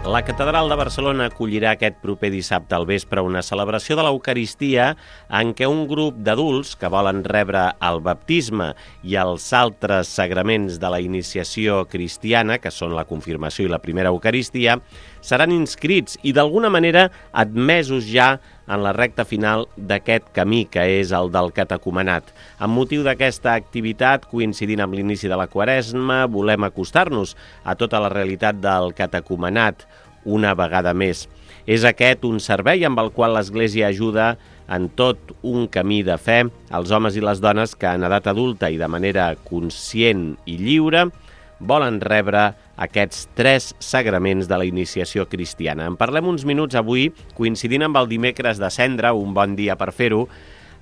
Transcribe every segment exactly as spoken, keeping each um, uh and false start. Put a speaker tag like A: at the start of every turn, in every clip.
A: La Catedral de Barcelona acollirà aquest proper dissabte al vespre una celebració de l'Eucaristia en què un grup d'adults que volen rebre el baptisme i els altres sagraments de la iniciació cristiana, que són la confirmació i la primera Eucaristia, seran inscrits i d'alguna manera admesos ja en la recta final d'aquest camí, que és el del catecumenat. Amb motiu d'aquesta activitat, coincidint amb l'inici de la Quaresma, volem acostar-nos a tota la realitat del catecumenat una vegada més. És aquest un servei amb el qual l'Església ajuda en tot un camí de fe als homes i les dones que en edat adulta i de manera conscient i lliure volen rebre aquests tres sagraments de la iniciació cristiana. En parlem uns minuts avui, coincidint amb el dimecres de Cendra, un bon dia per fer-ho,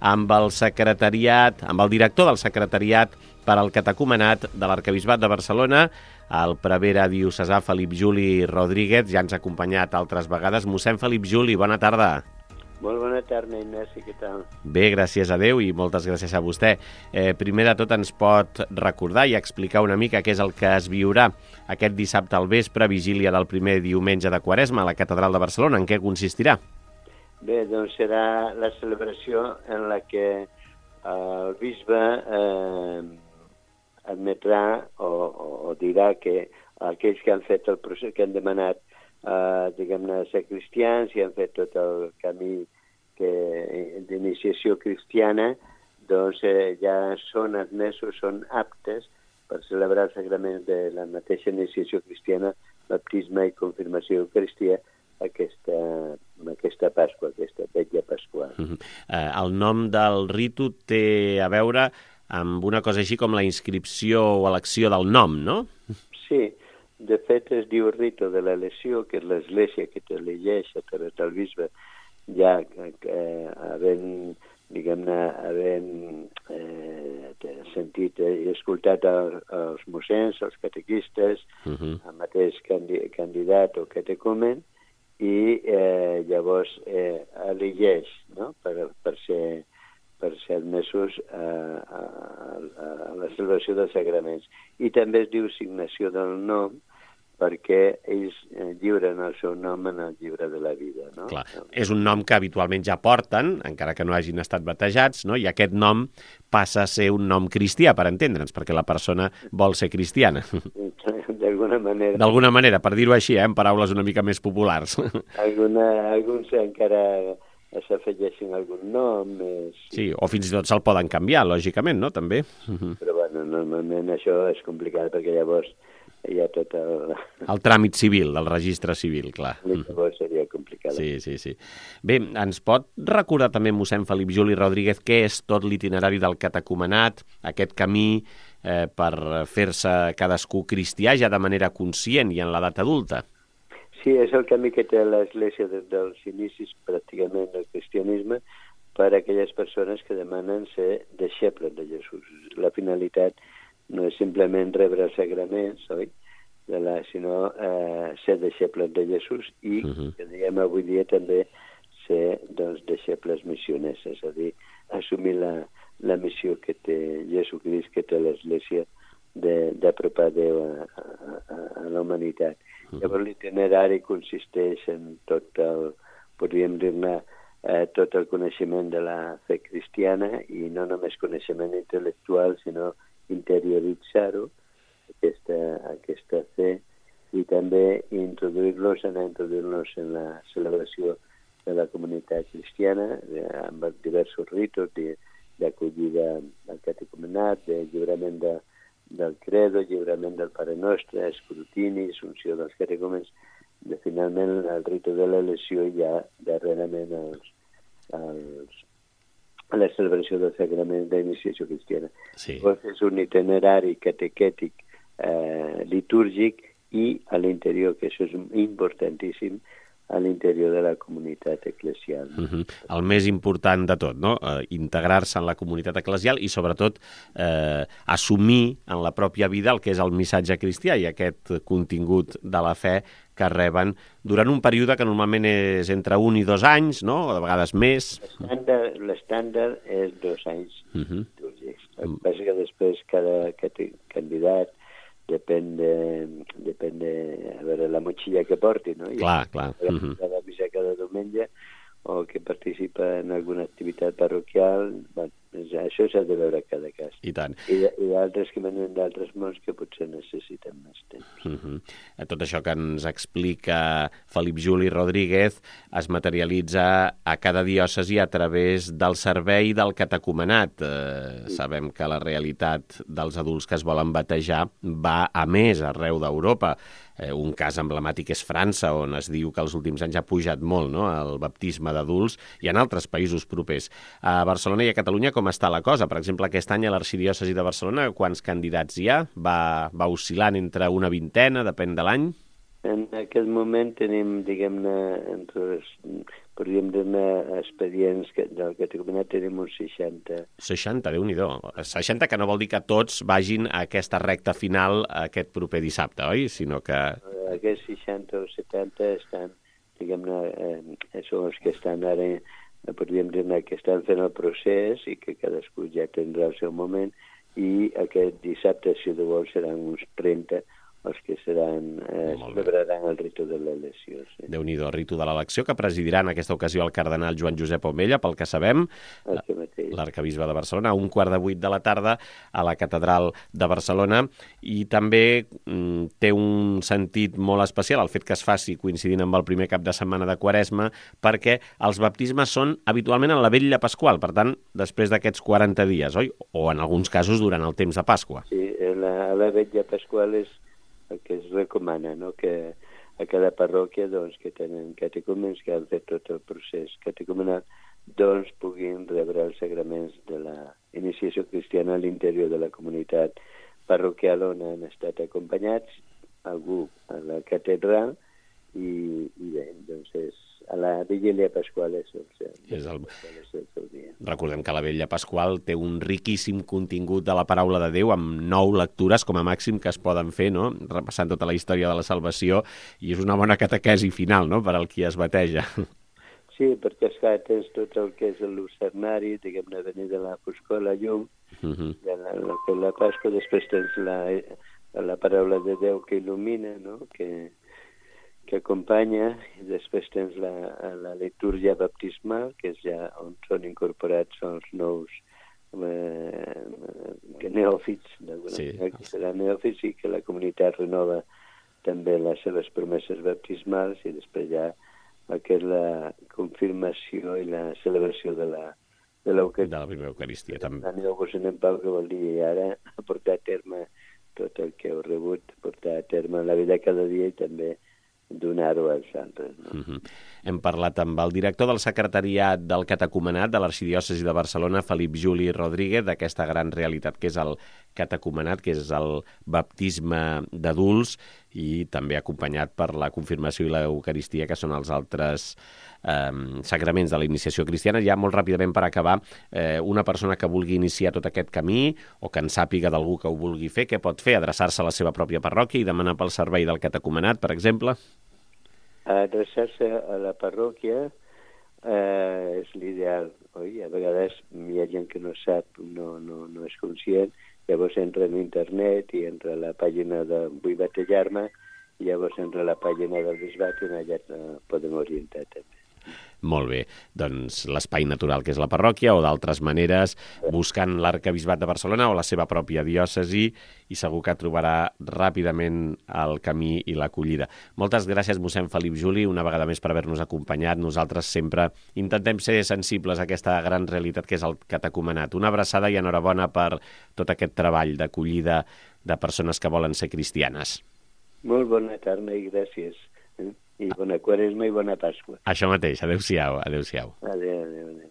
A: amb el secretariat, amb el director del secretariat per al catecumenat de l'Arquebisbat de Barcelona, el prevere diocesà Felip Juli Rodríguez, ja ens ha acompanyat altres vegades. Mossèn Felip Juli, bona tarda.
B: Molt bona tarda, Ignasi, què tal?
A: Bé, gràcies a Déu i moltes gràcies a vostè. Eh, primer de tot ens pot recordar i explicar una mica què és el que es viurà aquest dissabte al vespre, vigília del primer diumenge de Quaresma a la Catedral de Barcelona. En què consistirà?
B: Bé, doncs serà la celebració en la que el bisbe eh, admetrà o, o, o dirà que aquells que han fet el procés, que han demanat Uh, diguem-ne, ser cristians i han fet tot el camí que, d'iniciació cristiana, doncs eh, ja són admesos, són aptes per celebrar els sagraments de la mateixa iniciació cristiana, baptisme i confirmació eucaristia, aquesta, aquesta Pasqua, aquesta vetlla pasqual.
A: Uh-huh. uh, el nom del ritu té a veure amb una cosa així com la inscripció o elecció del nom, no?
B: Sí. De fet, es diu rito de l'elecció, que és l'Església que t'elegeix a través del bisbe, ja eh, havent, diguem-ne, havent eh, sentit i escoltat el, els mossens, els catequistes, uh-huh. el mateix candidat o catecumen, i eh, llavors eh, elegeix, no?, per, per ser per ser admesos a, a, a la celebració dels sagraments. I també es diu signació del nom, perquè ells lliuren el seu nom en el llibre de la vida, no?
A: Clar, és un nom que habitualment ja porten, encara que no hagin estat batejats, no? I aquest nom passa a ser un nom cristià, per entendre'ns, perquè la persona vol ser cristiana.
B: D'alguna manera.
A: D'alguna manera, per dir-ho així, eh, en paraules una mica més populars.
B: Alguna, alguns encara s'afegeixin algun nom més...
A: Sí, o fins i tot se'l poden canviar, lògicament, no?, també.
B: Però, bueno, normalment això és complicat, perquè llavors hi ha tot el...
A: El tràmit civil, del registre civil, clar.
B: Llavors seria complicat.
A: Sí, sí, sí. Bé, ens pot recordar també, mossèn Felip Juli Rodríguez, què és tot l'itinerari del catecumenat, aquest camí eh, per fer-se cadascú cristià ja de manera conscient i en l'edat adulta?
B: Sí, és el camí que té l'Església des dels inicis pràcticament del cristianisme per a aquelles persones que demanen ser deixebles de Jesús. La finalitat no és simplement rebre els sagraments, oi? De la, sinó eh, ser deixebles de Jesús i, uh-huh. que diguem avui dia també, ser doncs, deixebles missioners, és a dir, assumir la, la missió que té Jesucrist, que té l'Església, d'apropar Déu a, a, a la humanitat. Uh-huh. Llavors l'itinerari consisteix en tot el, podríem dir-ne, eh, tot el coneixement de la fe cristiana i no només coneixement intel·lectual, sinó interioritzar-ho, aquesta, aquesta fe, i també introduir-los, anar a introduir-los en la celebració de la comunitat cristiana, de, amb diversos ritos d'acollida al catecumenat, de lliurament de, del credo, lliurament del Pare Nostre, escrutini, assumpció dels catecumens, de finalment el rito de l'elecció i ja darrerament els, els, la celebració del sagrament d'iniciació cristiana.
A: Sí.
B: Llavors és un itinerari catequètic eh, litúrgic i a l'interior, que això és importantíssim, a l'interior de la comunitat eclesial.
A: Uh-huh. El més important de tot, no? Eh, integrar-se en la comunitat eclesial i, sobretot, eh, assumir en la pròpia vida el que és el missatge cristià i aquest contingut de la fe que reben durant un període que normalment és entre un i dos anys, no? O de vegades més.
B: L'estàndard, l'estàndard és dos anys.
A: Uh-huh.
B: El que passa que després cada, cada candidat depèn de, depèn de a veure, la motxilla que porti, no?
A: Clar, clar.
B: I uh -huh. cada missa cada diumenge, o que participa en alguna activitat parroquial, bueno, això s'ha de veure cada cas.
A: I tant.
B: I, i d'altres que venen d'altres mons que potser necessiten més temps.
A: Uh -huh. Tot això que ens explica Felip Juli Rodríguez es materialitza a cada diòcesi a través del servei del catecumenat. Eh, sí. Sabem que la realitat dels adults que es volen batejar va a més arreu d'Europa. Eh, un cas emblemàtic és França, on es diu que els últims anys ha pujat molt, no?, el baptisme d'adults, i en altres països propers. A Barcelona i a Catalunya com està la cosa? Per exemple, aquest any a l'Arxidiòcesi de Barcelona, quants candidats hi ha? Va, va oscil·lant entre una vintena, depèn de l'any?
B: En aquest moment tenim, diguem-ne, entre els, podríem dir-ne, expedients que, del catecumenat tenim uns seixanta.
A: seixanta, Déu-n'hi-do. seixanta, que no vol dir que tots vagin a aquesta recta final aquest proper dissabte, oi? Sinó que...
B: Aquests seixanta o setanta estan, diguem-ne, eh, són els que estan ara, podríem dir-ne, que estan fent el procés i que cadascú ja tindrà el seu moment, i aquest dissabte, si de vol, seran uns trenta els que seran, eh, celebraran el ritu de l'elecció. Sí.
A: Déu-n'hi-do, el ritu de l'elecció, que presidirà en aquesta ocasió el cardenal Joan Josep Omella, pel que sabem, l'arcabisbe de Barcelona, a un quart de vuit de la tarda a la catedral de Barcelona, i també mm, té un sentit molt especial el fet que es faci coincidint amb el primer cap de setmana de Quaresma, perquè els baptismes són habitualment en la vetlla pasqual, per tant, després d'aquests quaranta dies, oi? O en alguns casos durant el temps de Pasqua.
B: Sí, la, la vetlla pasqual és el que es recomana, no?, que a cada parròquia, doncs, que tenen catecúmens que han fet tot el procés catecumenal, doncs puguin rebre els sagraments de la iniciació cristiana a l'interior de la comunitat parroquial on han estat acompanyats, algú a la catedral, i, i bé, doncs és a la vigília pasqual és el seu,
A: és el...
B: és el seu dia.
A: Recordem que la vetlla pasqual té un riquíssim contingut de la paraula de Déu, amb nou lectures com a màxim que es poden fer, no?, repassant tota la història de la salvació, i és una bona catequesi final, no?, per al qui es bateja.
B: Sí, perquè esclar, tens tot el que és el lucernari, diguem-ne, venir de la foscor a la llum, uh -huh. de la, la, la Pasqua, després tens la, la paraula de Déu que il·lumina, no?, que que acompanya, i després tens la, la litúrgia baptismal, que és ja on són incorporats els nous eh, neòfits, d'alguna
A: sí.
B: manera, que seran neòfits, i que la comunitat renova també les seves promeses baptismals, i després ja el que és la confirmació i la celebració de la de l'Eucaristia.
A: De la primera Eucaristia, també.
B: Aneu-vos en pau, que vol dir ara portar a terme tot el que heu rebut, portar a terme la vida cada dia i també donar-ho als altres. No?
A: Uh -huh. Hem parlat amb el director del secretariat del catecumenat de l'Arxidiòcesi de Barcelona, Felip Juli Rodríguez, d'aquesta gran realitat que és el catecumenat, que és el baptisme d'adults, i també acompanyat per la confirmació i l'Eucaristia, que són els altres eh, sagraments de la iniciació cristiana. Ja molt ràpidament per acabar, eh, una persona que vulgui iniciar tot aquest camí, o que en sàpiga d'algú que ho vulgui fer, què pot fer? Adreçar-se a la seva pròpia parròquia i demanar pel servei del catecumenat, per exemple?
B: Adreçar-se a la parròquia eh, és l'ideal, oi? A vegades hi ha gent que no sap, no, no, no és conscient, llavors entra en internet i entra a la pàgina de Vull batejar-me, i llavors entra a la pàgina del bisbat i allà eh, podem orientar també.
A: Molt bé, doncs l'espai natural que és la parròquia, o d'altres maneres, buscant l'arcabisbat de Barcelona o la seva pròpia diòcesi, i segur que trobarà ràpidament el camí i l'acollida. Moltes gràcies, mossèn Felip Juli, una vegada més per haver-nos acompanyat. Nosaltres sempre intentem ser sensibles a aquesta gran realitat que és el catecumenat. Una abraçada i enhorabona per tot aquest treball d'acollida de persones que volen ser cristianes.
B: Molt bona tarda i gràcies. I bona Quaresma i bona Pasqua.
A: Això mateix. Adéu-siau. Adéu-siau.
B: Adéu, adéu, adéu.